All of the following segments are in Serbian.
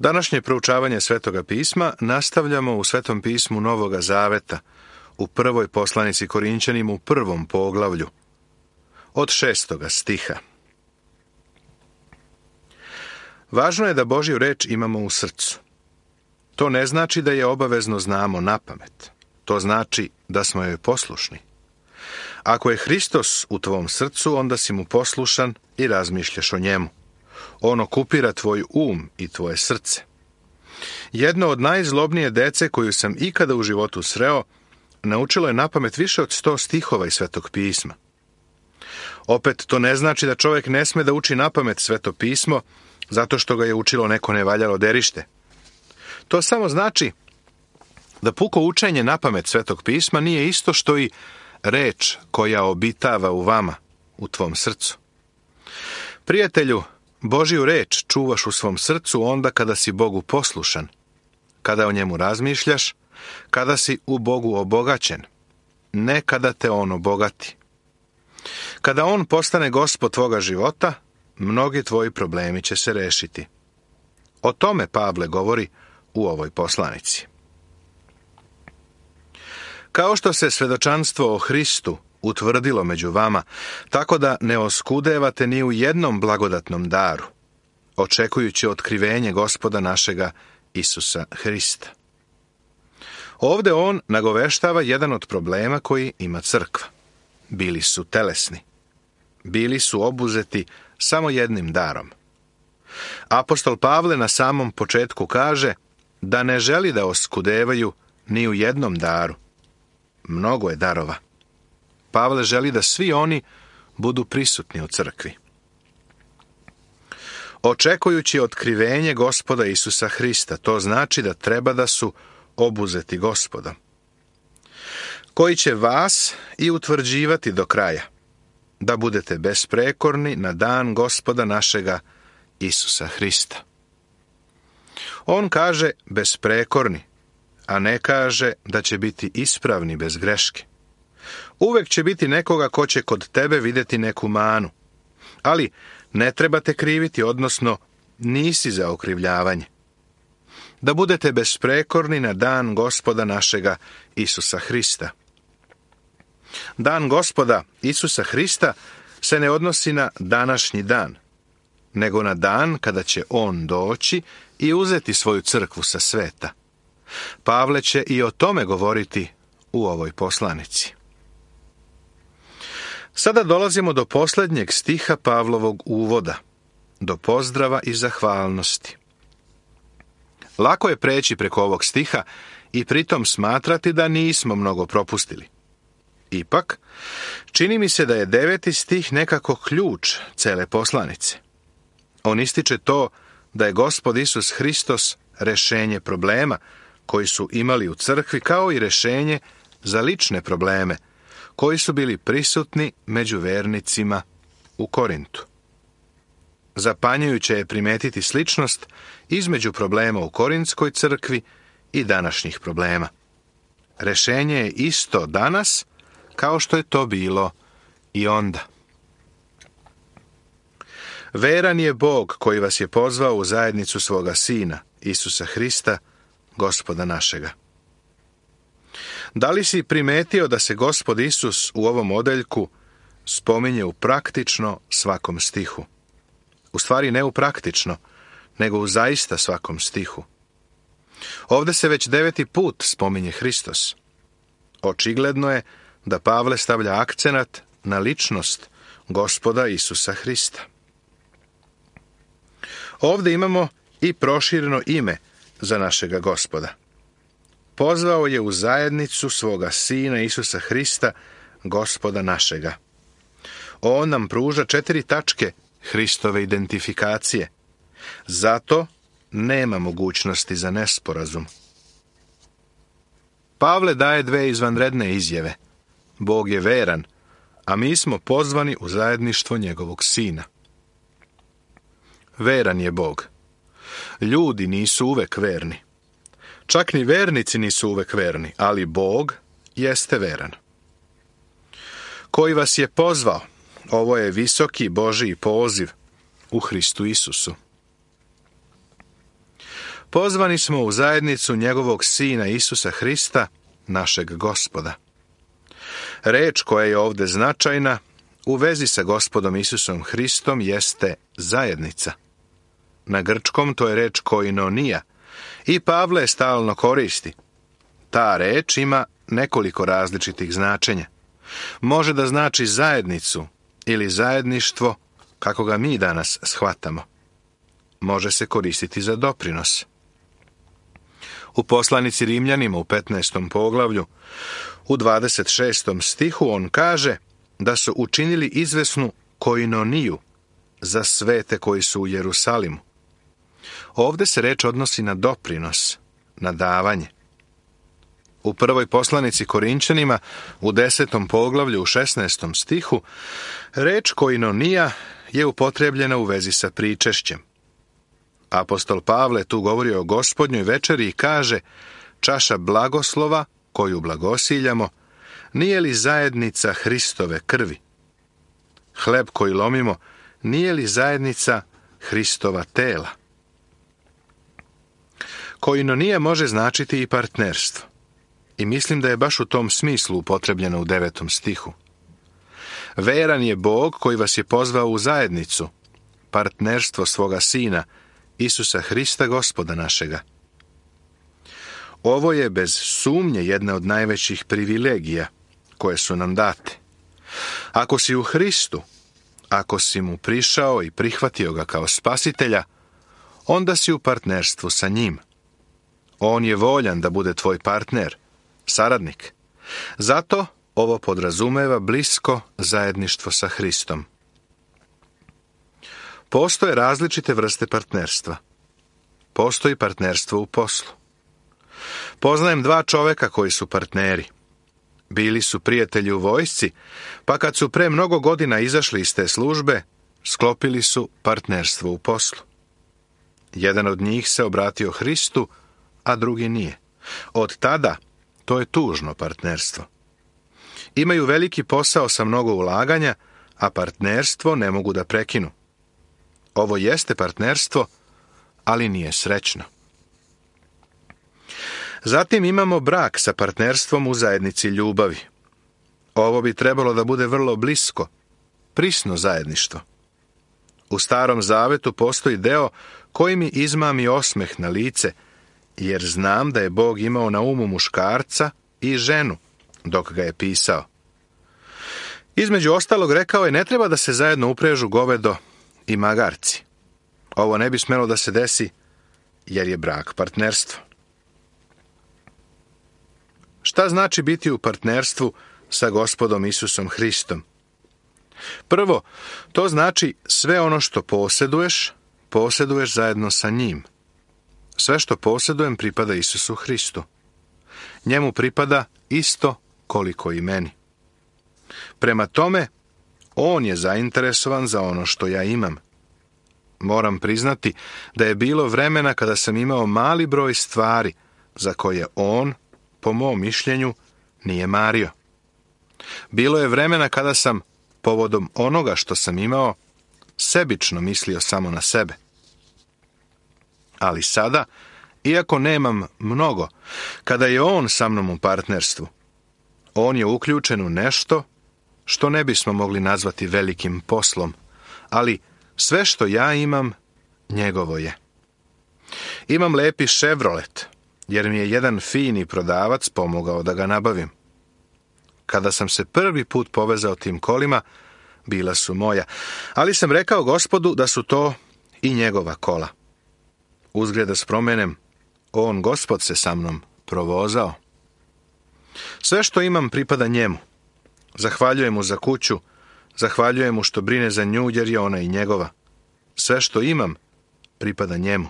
Današnje proučavanje Svetoga pisma nastavljamo u Svetom pismu Novoga Zaveta, u prvoj poslanici Korinćanima u 1. poglavlju, od 6. stiha. Važno je da Božju reč imamo u srcu. To ne znači da je obavezno znamo napamet. To znači da smo joj poslušni. Ako je Hristos u tvom srcu, onda si mu poslušan i razmišljaš o njemu. On okupira tvoj i tvoje srce. Jedno od najzlobnije dece koju sam ikada u životu sreo, naučilo je napamet više od 100 stihova iz Svetog pisma. Opet, to ne znači da čovjek ne sme da uči napamet Sveto pismo, zato što ga je učilo neko nevaljalo derište. To samo znači da puko učenje napamet Svetog pisma nije isto što i reč koja obitava u vama, u tvom srcu. Prijatelju, Božju reč čuvaš u svom srcu onda kada si Bogu poslušan, kada o njemu razmišljaš, kada si u Bogu obogaćen, ne kada te on obogati. Kada on postane gospod tvoga života, mnogi tvoji problemi će se rešiti. O tome Pavle govori u ovoj poslanici. Kao što se svedočanstvo o Hristu utvrdilo među vama, tako da ne oskudevate ni u jednom blagodatnom daru, očekujući otkrivenje Gospoda našega Isusa Hrista. Ovde on nagoveštava jedan od problema koji ima crkva. Bili su telesni. Bili su obuzeti samo jednim darom. Apostol Pavle na samom početku kaže da ne želi da oskudevaju ni u jednom daru. Mnogo je darova. Pavle želi da svi oni budu prisutni u crkvi. Očekujući otkrivenje Gospoda Isusa Hrista, to znači da treba da su obuzeti Gospodom, koji će vas i utvrđivati do kraja, da budete besprekorni na dan Gospoda našega Isusa Hrista. On kaže besprekorni, a ne kaže da će biti ispravni bez greške. Uvek će biti nekoga ko će kod tebe vidjeti neku manu, ali ne trebate kriviti, odnosno nisi za okrivljavanje. Da budete besprekorni na dan Gospoda našega Isusa Hrista. Dan Gospoda Isusa Hrista se ne odnosi na današnji dan, nego na dan kada će on doći i uzeti svoju crkvu sa sveta. Pavle će i o tome govoriti u ovoj poslanici. Sada dolazimo do posljednjeg stiha Pavlovog uvoda, do pozdrava i zahvalnosti. Lako je preći preko ovog stiha i pritom smatrati da nismo mnogo propustili. Ipak, čini mi se da je 9. stih nekako ključ cele poslanice. On ističe to da je Gospod Isus Hristos rešenje problema koji su imali u crkvi, kao i rešenje za lične probleme koji su bili prisutni među vernicima u Korintu. Zapanjujuće je primetiti sličnost između problema u Korintskoj crkvi i današnjih problema. Rešenje je isto danas kao što je to bilo i onda. Veran je Bog koji vas je pozvao u zajednicu svoga Sina, Isusa Hrista, Gospoda našega. Da li si primetio da se Gospod Isus u ovom odeljku spominje u praktično svakom stihu? U stvari ne u praktično, nego u zaista svakom stihu. Ovde se već 9. put spominje Hristos. Očigledno je da Pavle stavlja akcenat na ličnost Gospoda Isusa Hrista. Ovde imamo i prošireno ime za našega Gospoda. Pozvao je u zajednicu svoga Sina Isusa Hrista, Gospoda našega. On nam pruža 4 tačke Hristove identifikacije. Zato nema mogućnosti za nesporazum. Pavle daje 2 izvanredne izjave. Bog je veran, a mi smo pozvani u zajedništvo njegovog Sina. Veran je Bog. Ljudi nisu uvek verni. Čak ni vernici nisu uvek verni, ali Bog jeste veran. Koji vas je pozvao? Ovo je visoki Božji poziv u Hristu Isusu. pozvani smo u zajednicu njegovog Sina Isusa Hrista, našeg Gospoda. Reč koja je ovdje značajna u vezi sa Gospodom Isusom Hristom jeste zajednica. Na grčkom to je reč koinonija i Pavle je stalno koristi. Ta reč ima nekoliko različitih značenja. Može da znači zajednicu ili zajedništvo kako ga mi danas shvatamo. Može se koristiti za doprinos. U poslanici Rimljanima u 15. poglavlju, u 26. stihu on kaže da su učinili izvesnu koinoniju za svete koji su u Jerusalimu. Ovdje se reč odnosi na doprinos, na davanje. U prvoj poslanici Korinčanima u 10. poglavlju u 16. stihu reč koinonija je upotrebljena u vezi sa pričešćem. Apostol Pavle tu govori o gospodnjoj večeri i kaže: čaša blagoslova koju blagosiljamo, nije li zajednica Hristove krvi? Hleb koji lomimo, nije li zajednica Hristova tela? Koinonija može značiti i partnerstvo. I mislim da je baš u tom smislu upotrebljeno u 9. stihu. Veran je Bog koji vas je pozvao u zajednicu, partnerstvo svoga Sina, Isusa Hrista, Gospoda našega. Ovo je bez sumnje jedna od najvećih privilegija koje su nam date. Ako si u Hristu, ako si mu prišao i prihvatio ga kao spasitelja, onda si u partnerstvu sa njim. On je voljan da bude tvoj partner, saradnik. Zato ovo podrazumeva blisko zajedništvo sa Hristom. Postoje različite vrste partnerstva. Postoji partnerstvo u poslu. Poznajem 2 čoveka koji su partneri. Bili su prijatelji u vojsci, pa kad su pre mnogo godina izašli iz te službe, sklopili su partnerstvo u poslu. Jedan od njih se obratio Hristu, a drugi nije. Od tada to je tužno partnerstvo. Imaju veliki posao sa mnogo ulaganja, a partnerstvo ne mogu da prekinu. Ovo jeste partnerstvo, ali nije srećno. Zatim imamo brak sa partnerstvom u zajednici ljubavi. Ovo bi trebalo da bude vrlo blisko, prisno zajedništvo. U Starom Zavetu postoji deo koji mi izmami osmeh na lice, jer znam da je Bog imao na umu muškarca i ženu dok ga je pisao. Između ostalog rekao je: ne treba da se zajedno uprežu govedo i magarci. Ovo ne bi smelo da se desi, jer je brak partnerstvo. Šta znači biti u partnerstvu sa Gospodom Isusom Hristom? Prvo, to znači sve ono što posjeduješ zajedno sa njim. Sve što posjedujem pripada Isusu Hristu. Njemu pripada isto koliko i meni. Prema tome, on je zainteresovan za ono što ja imam. Moram priznati da je bilo vremena kada sam imao mali broj stvari za koje on, po mom mišljenju, nije mario. Bilo je vremena kada sam, povodom onoga što sam imao, sebično mislio samo na sebe. Ali sada, iako nemam mnogo, kada je on sa mnom u partnerstvu, on je uključen u nešto što ne bismo mogli nazvati velikim poslom, ali sve što ja imam, njegovo je. Imam lepi Chevrolet, jer mi je jedan fini prodavac pomogao da ga nabavim. Kada sam se prvi put povezao tim kolima, bila su moja, ali sam rekao Gospodu da su to i njegova kola. Uzgled da spromenem, on, Gospod, se sa mnom provozao. Sve što imam pripada njemu. Zahvaljujem mu za kuću, zahvaljujem mu što brine za nju, jer je ona i njegova. Sve što imam pripada njemu.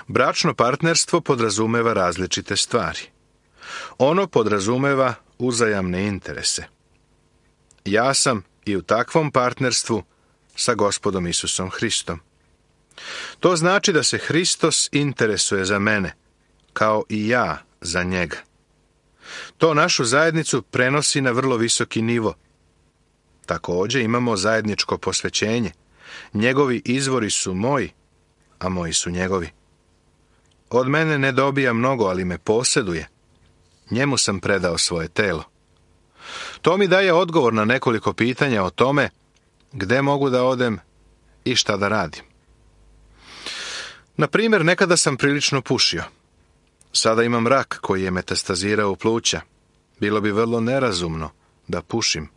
Bračno partnerstvo podrazumeva različite stvari. Ono podrazumeva uzajamne interese. Ja sam i u takvom partnerstvu sa Gospodom Isusom Hristom. To znači da se Hristos interesuje za mene, kao i ja za njega. To našu zajednicu prenosi na vrlo visoki nivo. Također imamo zajedničko posvećenje. Njegovi izvori su moji, a moji su njegovi. Od mene ne dobija mnogo, ali me posjeduje. Njemu sam predao svoje telo. To mi daje odgovor na nekoliko pitanja o tome gde mogu da odem i šta da radim. Na primjer, nekada sam prilično pušio. Sada imam rak koji je metastazirao u pluća. Bilo bi vrlo nerazumno da pušim.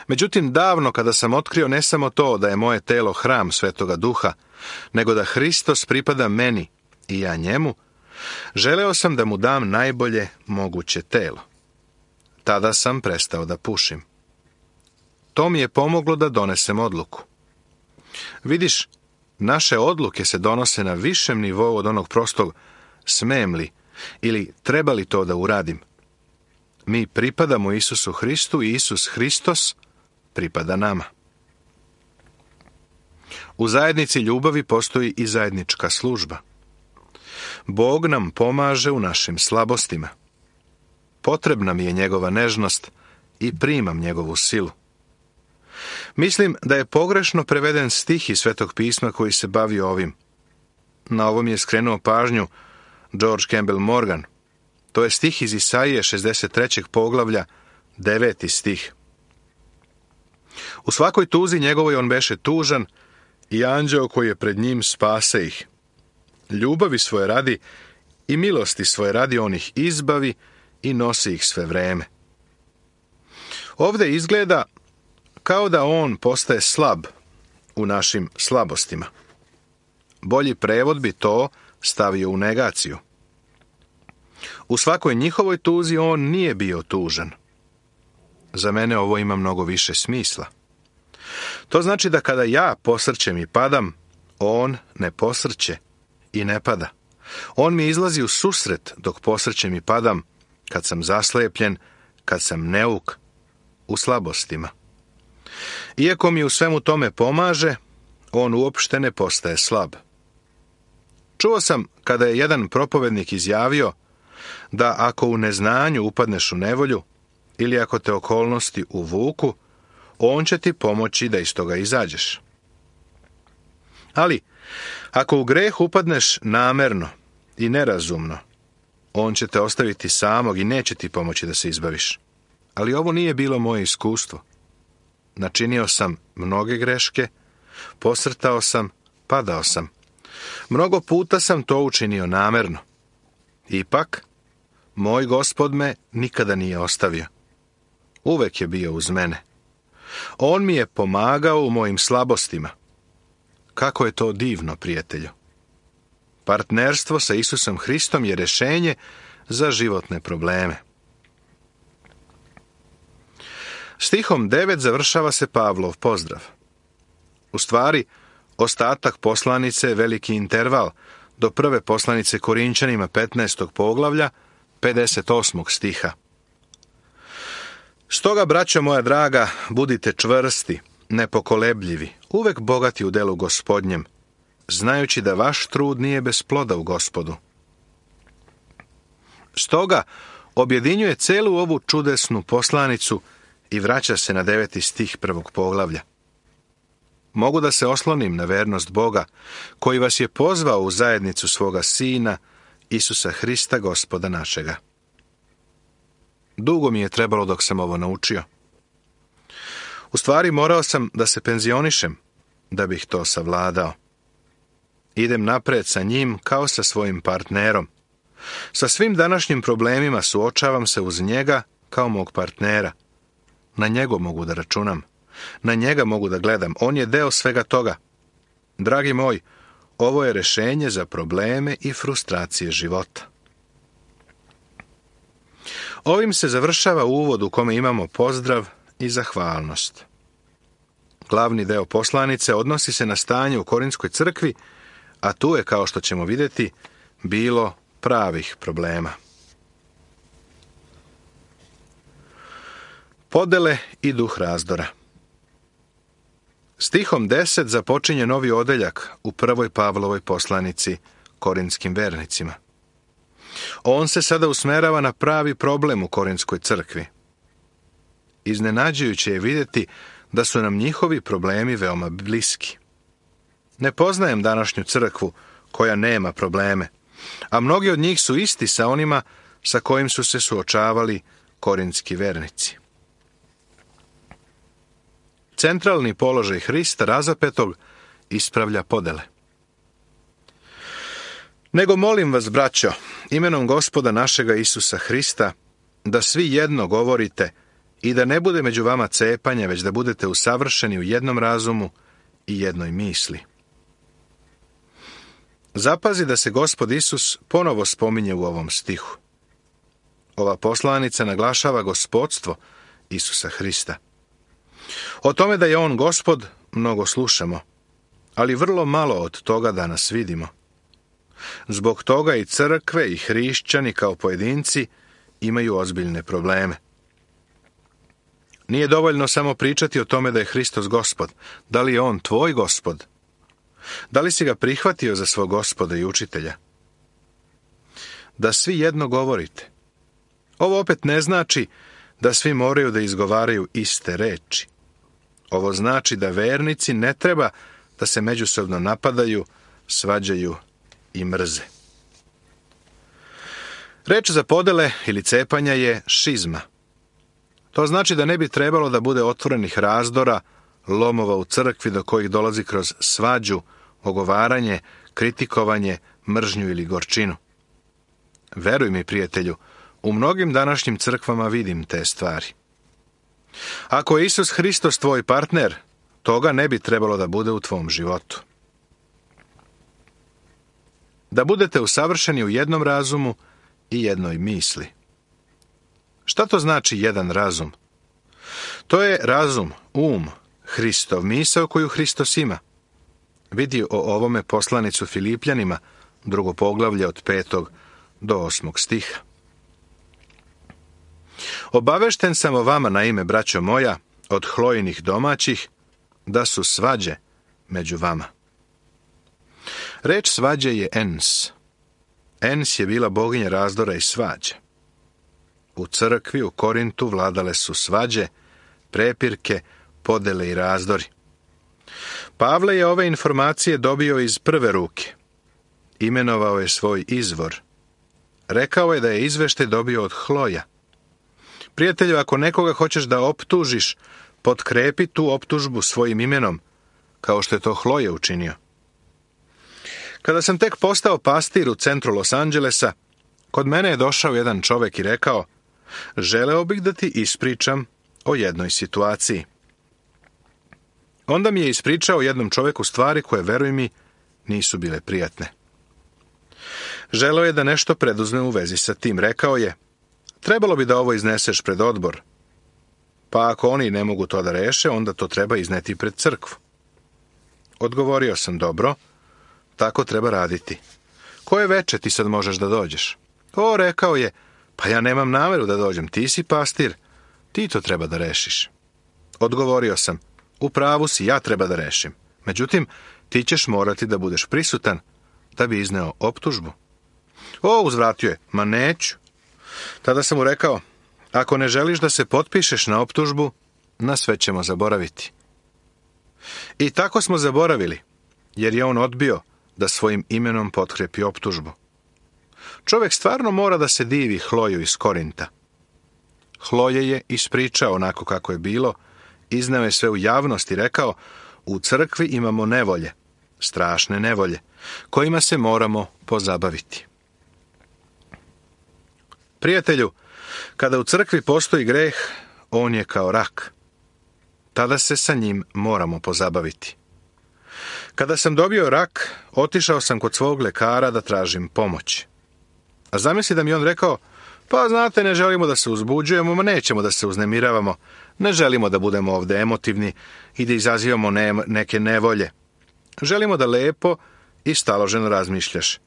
Međutim, davno kada sam otkrio ne samo to da je moje telo hram Svetoga Duha, nego da Hristos pripada meni i ja njemu, želeo sam da mu dam najbolje moguće telo. Tada sam prestao da pušim. To mi je pomoglo da donesem odluku. Vidiš, naše odluke se donose na višem nivou od onog prostog smem li ili treba li to da uradim. Mi pripadamo Isusu Hristu i Isus Hristos pripada nama. U zajednici ljubavi postoji i zajednička služba. Bog nam pomaže u našim slabostima. Potrebna mi je njegova nežnost i primam njegovu silu. Mislim da je pogrešno preveden stih iz Svetog pisma koji se bavi ovim. Na ovom je skrenuo pažnju George Campbell Morgan. To je stih iz Isaije 63. poglavlja, 9. stih. U svakoj tuzi njegovoj on beše tužan i anđeo koji je pred njim spase ih. Ljubavi svoje radi i milosti svoje radi on ih izbavi i nosi ih sve vreme. Ovdje izgleda kao da on postaje slab u našim slabostima. Bolji prevod bi to stavio u negaciju. U svakoj njihovoj tuzi on nije bio tužan. Za mene ovo ima mnogo više smisla. To znači da kada ja posrćem i padam, on ne posrće i ne pada. On mi izlazi u susret dok posrćem i padam, kad sam zaslepljen, kad sam neuk, u slabostima. Iako mi u svemu tome pomaže, on uopšte ne postaje slab. Čuo sam kada je jedan propovednik izjavio da ako u neznanju upadneš u nevolju ili ako te okolnosti uvuku, on će ti pomoći da iz toga izađeš. Ali, ako u greh upadneš namerno i nerazumno, on će te ostaviti samog i neće ti pomoći da se izbaviš. Ali ovo nije bilo moje iskustvo. Načinio sam mnoge greške, posrtao sam, padao sam. Mnogo puta sam to učinio namerno. Ipak, moj Gospod me nikada nije ostavio. Uvek je bio uz mene. On mi je pomagao u mojim slabostima. Kako je to divno, prijatelju. Partnerstvo sa Isusom Hristom je rješenje za životne probleme. Stihom 9 završava se Pavlov pozdrav. U stvari, ostatak poslanice je veliki interval do prve poslanice Korinčanima 15. poglavlja, 58. stiha. Stoga, braćo moja draga, budite čvrsti, nepokolebljivi, uvek bogati u delu Gospodnjem, znajući da vaš trud nije bez ploda u Gospodu. Stoga, objedinjuje celu ovu čudesnu poslanicu i vraća se na 9. stih prvog poglavlja. Mogu da se oslonim na vernost Boga, koji vas je pozvao u zajednicu svoga Sina, Isusa Hrista, Gospoda našega. Dugo mi je trebalo dok sam ovo naučio. U stvari, morao sam da se penzionišem, da bih to savladao. Idem napred sa njim kao sa svojim partnerom. Sa svim današnjim problemima suočavam se uz njega kao mog partnera. Na njega mogu da računam. Na njega mogu da gledam. On je deo svega toga. Dragi moj, ovo je rješenje za probleme i frustracije života. Ovim se završava uvod u kome imamo pozdrav i zahvalnost. Glavni deo poslanice odnosi se na stanje u Korinskoj crkvi, a tu je, kao što ćemo vidjeti, bilo pravih problema. Podele i duh razdora. Stihom 10 započinje novi odeljak u prvoj Pavlovoj poslanici Korintskim vernicima. On se sada usmerava na pravi problem u Korinskoj crkvi. Iznenađujuće je vidjeti da su nam njihovi problemi veoma bliski. Ne poznajem današnju crkvu koja nema probleme, a mnogi od njih su isti sa onima sa kojim su se suočavali korintski vernici. Centralni položaj Hrista razapetog ispravlja podele. Nego molim vas, braćo, imenom Gospoda našega Isusa Hrista, da svi jedno govorite i da ne bude među vama cepanja, već da budete usavršeni u jednom razumu i jednoj misli. Zapazi da se Gospod Isus ponovo spominje u ovom stihu. Ova poslanica naglašava gospodstvo Isusa Hrista. O tome da je on Gospod mnogo slušamo, ali vrlo malo od toga danas vidimo. Zbog toga i crkve i hrišćani kao pojedinci imaju ozbiljne probleme. Nije dovoljno samo pričati o tome da je Hristos Gospod. Da li je on tvoj Gospod? Da li si ga prihvatio za svog Gospoda i učitelja? Da svi jedno govorite. Ovo opet ne znači da svi moraju da izgovaraju iste reči. Ovo znači da vernici ne treba da se međusobno napadaju, svađaju i mrze. Reč za podele ili cepanja je šizma. To znači da ne bi trebalo da bude otvorenih razdora, lomova u crkvi do kojih dolazi kroz svađu, ogovaranje, kritikovanje, mržnju ili gorčinu. Veruj mi, prijatelju, u mnogim današnjim crkvama vidim te stvari. Ako je Isus Hristos tvoj partner, toga ne bi trebalo da bude u tvom životu. Da budete usavršeni u jednom razumu i jednoj misli. Šta to znači jedan razum? To je razum, Hristov, misao koju Hristos ima. Vidi o ovome poslanicu Filipljanima, 2. poglavlje od 5. do 8. stiha. Obavešten sam o vama na ime, braćo moja, od Hlojinih domaćih, da su svađe među vama. Reč svađe je ens. Ens je bila boginja razdora i svađe. U crkvi u Korintu vladale su svađe, prepirke, podele i razdori. Pavle je ove informacije dobio iz prve ruke. Imenovao je svoj izvor. Rekao je da je izveštaj dobio od Hloja. Prijatelju, ako nekoga hoćeš da optužiš, potkrepi tu optužbu svojim imenom, kao što je to Hloje učinio. Kada sam tek postao pastir u centru Los Angelesa, kod mene je došao jedan čovek i rekao: želeo bih da ti ispričam o jednoj situaciji. Onda mi je ispričao jednom čoveku stvari koje, veruj mi, nisu bile prijatne. Želeo je da nešto preduzme u vezi sa tim. Rekao je: trebalo bi da ovo izneseš pred odbor. Pa ako oni ne mogu to da reše, onda to treba izneti pred crkvu. Odgovorio sam: dobro, tako treba raditi. Koje veče ti sad možeš da dođeš? O, rekao je, pa ja nemam nameru da dođem, ti si pastir, ti to treba da rešiš. Odgovorio sam: u pravu si, ja treba da rešim. Međutim, ti ćeš morati da budeš prisutan da bi izneo optužbu. O, uzvratio je, ma neću. Tada sam mu rekao: ako ne želiš da se potpišeš na optužbu, na sve ćemo zaboraviti. I tako smo zaboravili, jer je on odbio da svojim imenom potkrepi optužbu. Čovjek stvarno mora da se divi Hloju iz Korinta. Hloje je ispričao onako kako je bilo, izneo je sve u javnost i rekao: u crkvi imamo nevolje, strašne nevolje, kojima se moramo pozabaviti. Prijatelju, kada u crkvi postoji greh, on je kao rak. Tada se sa njim moramo pozabaviti. Kada sam dobio rak, otišao sam kod svog lekara da tražim pomoć. A zamisli da mi on rekao: pa znate, ne želimo da se uzbuđujemo, nećemo da se uznemiravamo, ne želimo da budemo ovde emotivni i da izazivamo neke nevolje. Želimo da lepo i staloženo razmišljaš.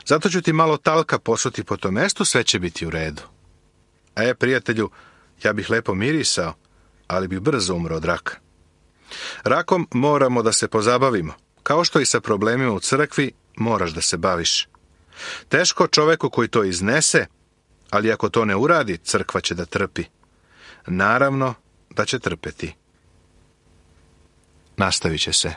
Zato ću ti malo talka posuti po tom mestu, sve će biti u redu. Prijatelju, ja bih lepo mirisao, ali bih brzo umro od raka. Rakom moramo da se pozabavimo. Kao što i sa problemima u crkvi, moraš da se baviš. Teško čoveku koji to iznese, ali ako to ne uradi, crkva će da trpi. Naravno da će trpeti. Nastavit će se.